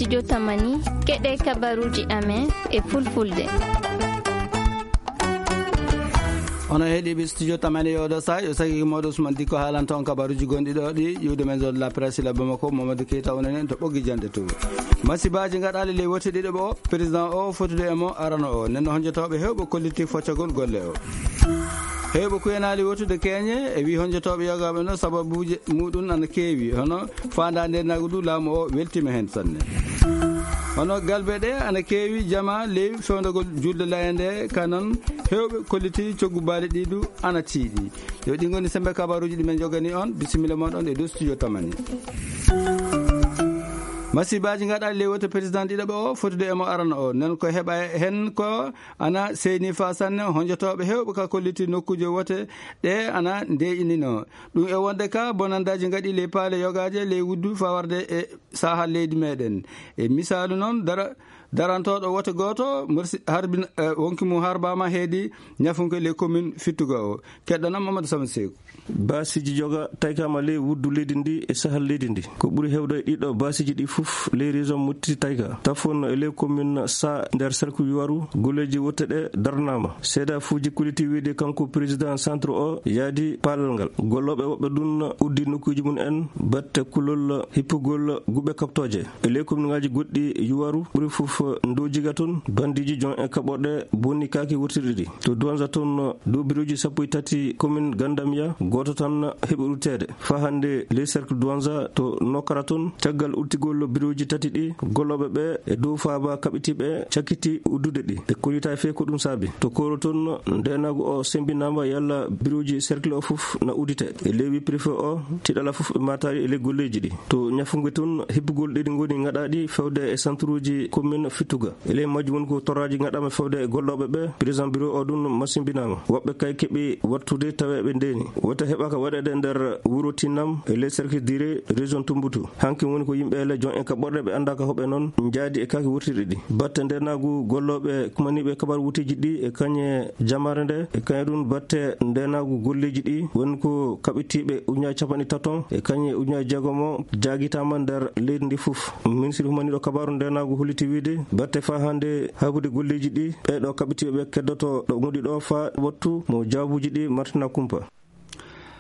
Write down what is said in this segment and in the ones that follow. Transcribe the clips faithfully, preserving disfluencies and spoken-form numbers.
Studio Tamani, keɗee kabaruuji amen e fulfulde. Onon heɗiiɓe Studio Tamani, e oɗo saha yo sagi mooɗo Usman Dikko haalanta on kabaruuji gonɗi ɗo ɗi ƴuwde men zone de la presse la Bamako, Mamadou Keita onon en to ɓoggi jande to. Masibaaji ngaɗaali ley wote ɗiɗo ɓo, président o fotude e mo arano o. Nden no honjotooɓe heewɓe kolliti foccagol golle o. Heewɓe kuyanaali wotude keeñe e wii honjotooɓe yogaaɓe no sababuuji muɗum ana keewi, hono faandaa ndeenaagu du laamu o weltiima heen sanne. Hono galbe ɗe ana keewi jama ley fewndagol julde laye nde, ka non heewɓe kolliti coggu baali ɗi du ana tiiɗi. Yo ɗi ngoni sembe kabaruuji ɗi men jogani on, bisimilla mon ɗon e dow studio Tamani. Masibaaji ngaɗaali ley wote président ɗiɗo ɓo o fotude e mo arano o. Nden ko heɓa heen ko ana seyni faa sanne, honjotooɓe heewɓe ka kolliti nokkuuje wote ɗe ana ndeeƴininoo. Ɗum e wonde ka bonandaaji ngaɗi ley paale yogaaje ley wuddu faa warde e saahal leydi meɗen. E misaalu noon, dara-, darantooɗo wote gooto, morsi-, harbi-, eh, wonki mum harbaama heedi ñafunke ley commune Fittuga o. Keɗɗon am Mamadou Samad Seeku. Baasiiji joga taykaama ley wuddu leydi ndi e sahal leydi ndi. Ko ɓuri heewde e ɗiɗo baasiiji ɗi fof ley région Motti Tayka. Tafon e ley commune Sa nder cercle Yuwaru, golleeji wotte ɗe darnaama. Seedaafuuji kolliti wiide kanko président centre o yaadi paalal ngal. Gollooɓe woɓɓe ɗun uddi nokkuuji mum en batte kulol hippugol guɓe kaɓtooje. E ley komiŋaaji goɗɗi Yuwaru ɓuri fof Ndojiga toon, bandiiji jon e kaɓorɗe bonni kaaki wurtirɗi ɗi. To Duwanza toon, dow birooji sappo e tati komin Gandamiya, gooto tan heɓi rutteede. Faa hannde ley cercle Duwanza to Nokara toon, caggal urtigol birooji tati ɗi, gollooɓe ɓe e dow faaba kaɓitiiɓe cakkiti uddude ɗi. Ɓe kollitaaki fey ko ɗum saabi. To Koro toon, ndeenaagu o semmbinaama yalla birooji cercle o fof na udditee. E ley wii préfet o, tiiɗalla fof ɓe maataali e ley golleeji ɗi. To Ñafunge toon, hippugol ɗi ngoni ngaɗaaɗi fewde e santuruuji commune Fittuga. E ley majji woni ko torraaji ngaɗaama fewde e gollooɓe ɓe. Président bureau o ɗum masimbinaama. Woɓɓe kay keɓi wattude tawee ɓe ndeeni. Wota heɓaaka waɗeede nder wuro Tinnam e ley cercle Dire région Tumbutu. Hanki woni ko yimɓe le jon en ka ɓorɗe ɓe anndaa ka hoɓe noon njaadi e kaaki wurtirɗi ɗi. Batte ndeenaagu gollooɓe kumaniiɓe kabar wuteeji ɗi e kañe jamaare nde e kañe ɗum batte ndeenaagu golleeji ɗi woni ko kaɓitiiɓe ujunaaji capanɗe taton e kañe ujunaaji jeegomo jaagitaama nder leydi ndi fof. Ministiri humaniiɗo kabaaru ndeenaagu holliti wiide batte faa hannde haabude golleeji ɗi ɓee ɗo kaɓitiiɓe ɓe keddoto ɗo ngonɗi ɗo faa wattu mo jaabuuji ɗi martina kumpa.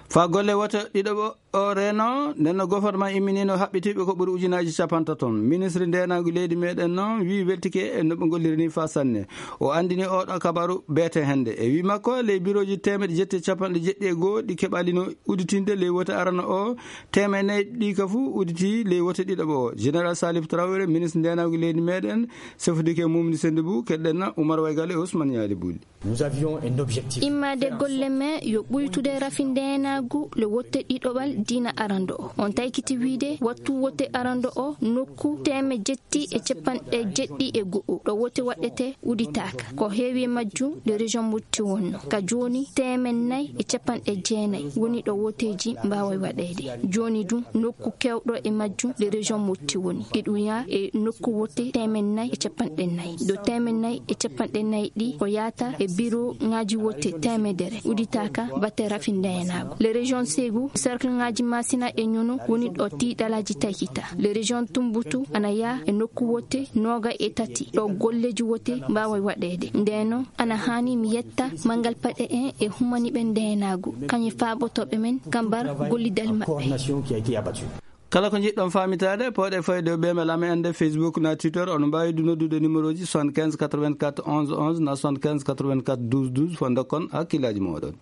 Faa golle wote ɗiɗo ɓo-, o reeno, nden no gofornman imminiino haɓɓitiiɓe ko ɓuri ujunaaji capantaton. Ministri ndeenaagu leydi meɗen noon wii weltike e no ɓe ngolliri nii faa sanne. O anndini oo ɗoo kabaru beete hannde. E wii makko, ley birooji teemeɗɗe jetti e capanɗe jeɗɗi e goo ɗi keɓaalino udditinde ley wote arano o, teemeɗɗe nayi ɗi ka fuu udditii ley wote ɗiɗo ɓo o. Général Salif Traoré, ministre ndeenaagu leydi meɗen, sefodike e Mumni Sendibou, keɗɗen na Oumar Waygal e Ousmane Yaali Buli. Nous avions un objectif. Immaade golle men yo ɓuytude rafi ndeenaagu le wotte ɗiɗoɓal diina arando o. On taykiti wiide wattu wotte arando o nokku teeme jetti e capanɗe jeɗɗi e go'o ɗo wotte waɗete uditaaka. Ko heewi e majjum le région Motti wonno. Ka jooni teeme nayi e capanɗe jeenayi woni ɗo wotteeji mbaaway waɗeede. Jooni dum nokku keewɗo e majjum le région Motti woni. Iɗum yaa e nokku wotte teeme nayi e capanɗe nayi. Ɗo teeme nayi e capanɗe nayi ɗi ko yaata e birooŋaaji wotte teemedere uditaaka batte rafi ndeenaagu. Le région Ségou, cercleŋaaji Masina e Ñono woni ɗo tiiɗalaaji taykita. Le région Tumbutu ana yaa e nokku wotte nooga e tati ɗo golleeji wotte mbaaway waɗeede. Ndeenoo ana haani mi yetta manngal paɗe en e humaniiɓe ndeenaagu, kañe faaɓotooɓe men kambar gollidal maɓɓe. Kala ko njiɗɗon faamitaade, pooɗee fayde o ɓeemel amen annde Facebook na Twitter. Oɗon mbaawi du noddude numéroji soixante-quinze quatre-vingt-quatre onze onze na soixante-quinze quatre-vingt-quatre douze douze fo ndokkon hakkillaaji mooɗon.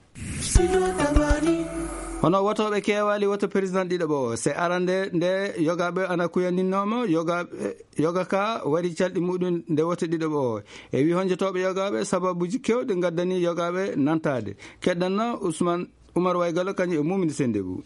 Hono wotooɓe keewaali woto président ɗiɗo ɓo o. Se arande nde yogaaɓe ana kuyaninoo mo, yogaaɓe, yoga ka wari calɗi muɗum nde woto ɗiɗo ɓo o. E wii honjotooɓe yogaaɓe sababuuji keewɗi ngaddani yogaaɓe nantaade. Keɗɗanno Ousmane Oumar Waygalo kañum e Mumini Sendebou.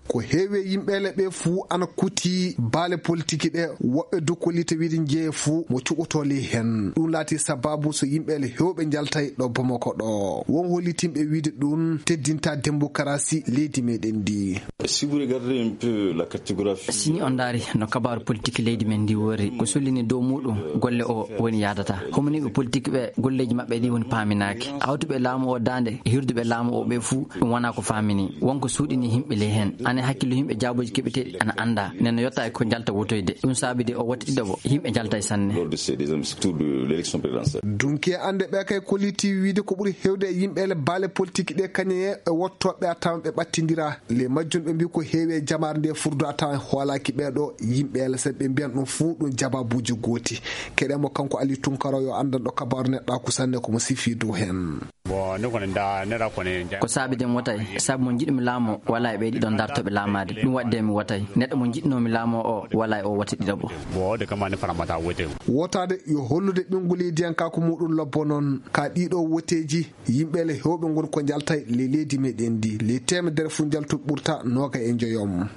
Ko heewi e yimɓeele ɓee fuu ana kuti baale politiki ɗee, woɓɓe du kollita wiide njeeye fuu mo cuɓotoo ley heen. Ɗum laatii sabaabu so yimɓeele heewɓe njaltay ɗo Bamako ɗo. Won hollitinɓe wiide ɗum teddintaa dembokarasi leydi meɗen ndi. Si vous regardez un peu la cartographie. Si ni on ndaari no kabaaru politik leydi men ndi worri, ko sollini dow muuɗum golle o woni yaadata. Homniiɓe politik ɓe golleeji maɓɓe ɗi woni paaminaaki. Hawtuɓe laamu o daande e hirduɓe laamu o ɓe fuu ɗum wonaa ko faamini. Won ko suuɗini yimɓe ley heen. Hakkillo yimɓe jaabooji keɓeteeɗi ana anndaa. Nden no yottaa e ko njalta wotoyde. Ɗum saabi de o wote ɗiɗaɓo, yimɓe njaltay sanne. Lors de ces deuxième tour de l'élection présidentielle. Dunki e annde ɓe kay kolliti wiide ko ɓuri heewde e yimɓe ele baale politique ɗe kañe e wottooɓe a tawan ɓe ɓattindiraa. Le majjum ɓe mbii ko heewi e jamaare nde furdo a tawan hoolaaki ɓee ɗoo yimɓe ele sabi ɓe mbiyan ɗum fuu ɗum jabaabuuji gooti. Keɗe mo kanko Ali Tunkara yo anndan ɗo kabaaru neɗɗaaku sanne ko mo sifii dow heen. Bon, ne kɔni da, ne da kɔni ja- Ko saabi de mi wotay, sabu mo njiɗmi laamoo walaa e ɓee ɗiɗo ndartooɓe laamaade. Ɗum waɗi de mi wotay. Neɗɗo mo njiɗnoomi laamoo o walaa e o wote ɗiɗaɓo. Bon, o de kama ne fana mata wote. Wotaade yo hollude ɓinngu leydiyankaaku muuɗum lobbo noon. Ka ɗiɗo woteeji, yimɓe le heewɓe ngoni ko njaltay le leydi meɗen ndi. Le teemedere fuu njaltu ɓurta nooga e njoyom.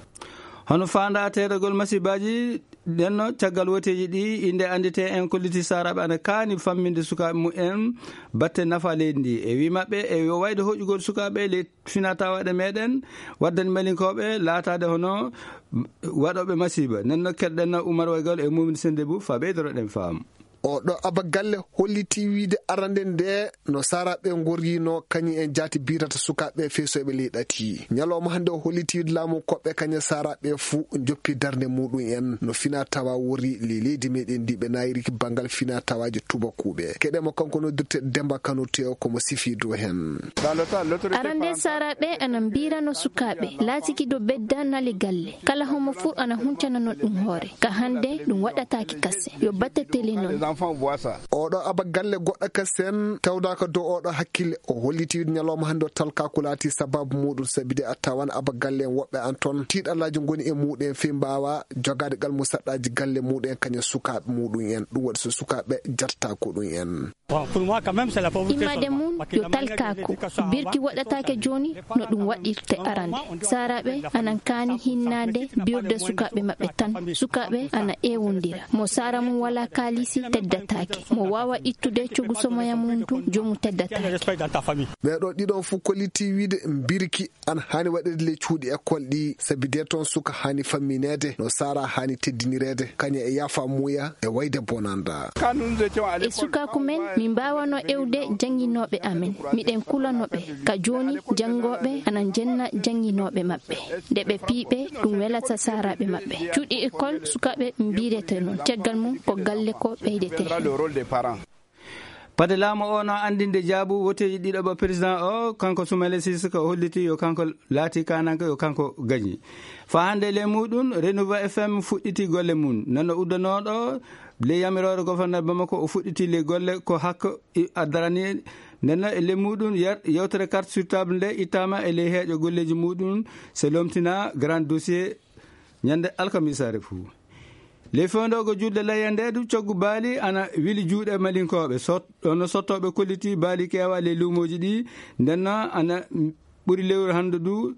Hono faandaa teedagol masibaaji Nden no caggal woteeji ɗi, innde annditee en kolliti saaraaɓe ana kaani famminde sukaaɓe mum en batte nafa leydi ndi. E wii maɓɓe, e yo wayde hoƴugol sukaaɓe ley finaa tawaaɗe meɗen, waddani malinkooɓe laataade hono waɗooɓe masiiba. Nden no keɗɗen Umar Waygal e Mumin Sendebu faa ɓeydoroɗen faamu. Oɗo abagalle hollitii wiide arande nde no saaraaɓe ngorriino kañum en jaati biirata sukaaɓe feesooɓe ley ɗati. Ñalawma hannde o hollitii wiide laamu koɓɓe kañum saaraaɓe fuu njoppi darnde muuɗum en no finaa tawaa worri ley leydi meɗen ndi ɓe naayiri banngal finaa tawaaji tubakuuɓe. Keɗe mo kanko noddirte Demba Kano Tew ko mo sifii dow heen. Arande saaraaɓe ana mbiirano sukaaɓe laatiki do bedda nale galle. Kala homo fuu ana huncanano ɗum hoore. Ka hannde ɗum waɗataaki kasen. Yo batte tele non. Oɗo abagalle goɗɗo kasen tawdaaka dow oɗo hakkille. O holliti wiide ñalawma hannde o talkaaku laati sababu muuɗum sabi de a tawan abagalle en woɓɓe an ton tiiɗallaaji ngoni e muuɗum en fii mbaawa jogaade gal musaɗɗaaji galle muuɗum en kañum sukaaɓe muuɗum en. Ɗum waɗi so sukaaɓe jatataako ɗum en. Immade mum yo talkaaku. Birki waɗataake jooni no ɗum waɗirte arande. Saaraaɓe anan kaani hinnaade biirde sukaaɓe maɓɓe tan. Sukaaɓe ana ewondira. Mo saara mum walaa kaalisi teddataake. Mo waawa ittude cogu somoya mum duu, joomu teddataake. Ɓee ɗoo ɗiɗon fuu kollitii wiide mbirki ana haani waɗeede ley cuuɗi ekkol ɗii, sabi dee toon suka haani fammineede, no saara haani teddinireede, kañum e yaafa muuya e wayde bonanda. E sukaaku men, min mbaawano ewde jannginooɓe amen. Miɗen kulano ɓe. Ka jooni, janngooɓe ana njenna jannginooɓe maɓɓe. Nde ɓe piiɓe, ɗum welata saaraaɓe maɓɓe. Cuuɗi ekkol sukaaɓe mbiirete non. Caggal mum, ko galle ko ɓeydetee. Pade laamu o no anndinde jaabu woteeji ɗiɗaɓo président o, kanko Soumaïla Cissokho o holliti yo kanko laati kaananke, yo kanko gañi. Faa hannde e ley muuɗum, Renouveau F M fuɗɗiti golle mum. Nden no uddanooɗo ley yamiroore gofornor Bamako o fuɗɗiti ley golle ko hakko i-, addarani. Nden no e ley muuɗum yer-, yewtere carte sur table nde ittaama e ley heeƴo golleeji muuɗum, se lomtina grand dossier ñande alkamisaare fuu. Ley fewndoogo julde layya nde du, coggu baali ana wili juuɗe malinkooɓe. Sot-, ɗon no sottooɓe kollitii baali keewaa ley luumooji ɗi. Nden no ana ɓuri lewru hannde du,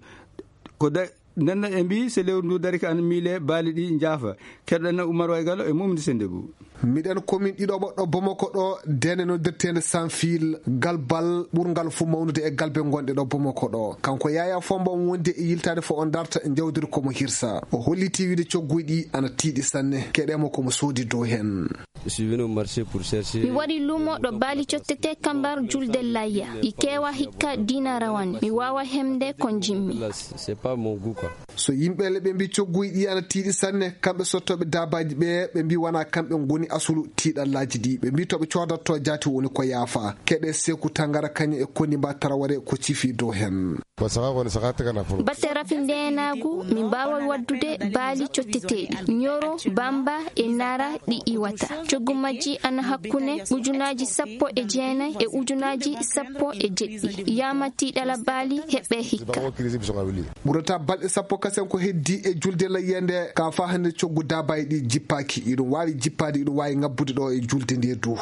ko da-, nden no ɓe mbii, so lewru ndu darike ana miilee, baali ɗi njaafa. Keɗoɗen Umar Waygallo e Mumdi Sennde Buu. Miɗen komin ɗiɗo ɓoɗɗo Bamako ɗo, deende noddirteende Sanfil, galbal ɓurngal fuu mawnude e galbe ngonɗe ɗo Bamako ɗo. Kanko Yaya Fomba on wondi e yiltaade fo o darta njawdiri ko mo hirsa. O hollitii wiide cogguuji ɗi ana tiiɗi sanne. Keɗee mo ko mo soodi dow heen. Mi wari luumo ɗo baali cottetee kambar julde layya. Ɗi keewaa hikka diina rawane. Mi waawaa heɓde ko njiɗmi. So yimɓe le ɓe mbii cogguuji ɗi ana tiiɗi sanne, kamɓe sottooɓe daabaaji ɓe, ɓe mbii wanaa kamɓe ngoni asulu tiiɗallaaji ɗi. Ɓe mbii to ɓe coodattoo jaati woni ko yaafaa. Keɗee Seeku Tangara kañum e Koniba Taraware ko cifi dow heen. Batte rafi ndeenaagu, min mbaawaa waddude baali cotteteeɗi. Ñoro, Bamba e Nara ɗi iwata. Coggu majji ana hakkunde ujunaaji sappo e jeenay e ujunaaji sappo e jeɗɗi. Yaama tiiɗalla baali heɓɓe hikka. Ɓurata balɗe sappo kasen ko heddii e julde layya nde, ka faa hannde coggu daabaaji ɗi jippaaki. Iɗum waawi jippaade, iɗum waawi ŋabbude ɗo e julde nde duu.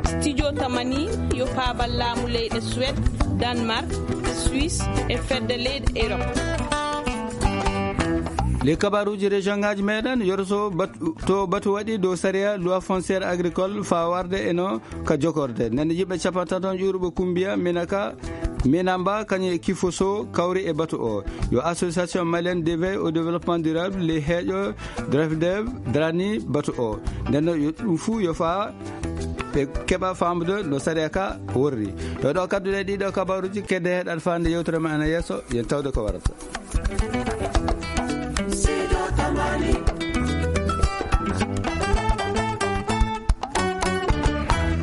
Studio Tamani yo paabal laamu leyɗe Suwed, Danmark, Suisse e fedde leyɗe Erop. Ley kabaaruuji région ŋaaji meɗen, yoro so bat-, to batu waɗi dow sariya loi foncière agricole faa warde e no ka jokorde. Nden yimɓe cappanɗe tati ƴuuruɓe Kumbiya, Minaka, Minamba, kañum e Kifoso kawri e batu o. Yo Association Malienne d'éveil au développement durable, ley heeƴo DREFDEV, darani batu o. Nden no yo ɗum fuu yo faa ɓe keɓa faamude no sariya ka worri. Ɗo ɗo kadduɗe ɗiɗo kabaruuji, kedde heɗal faande yewtere ma ena yeeso, yen tawde ko warata.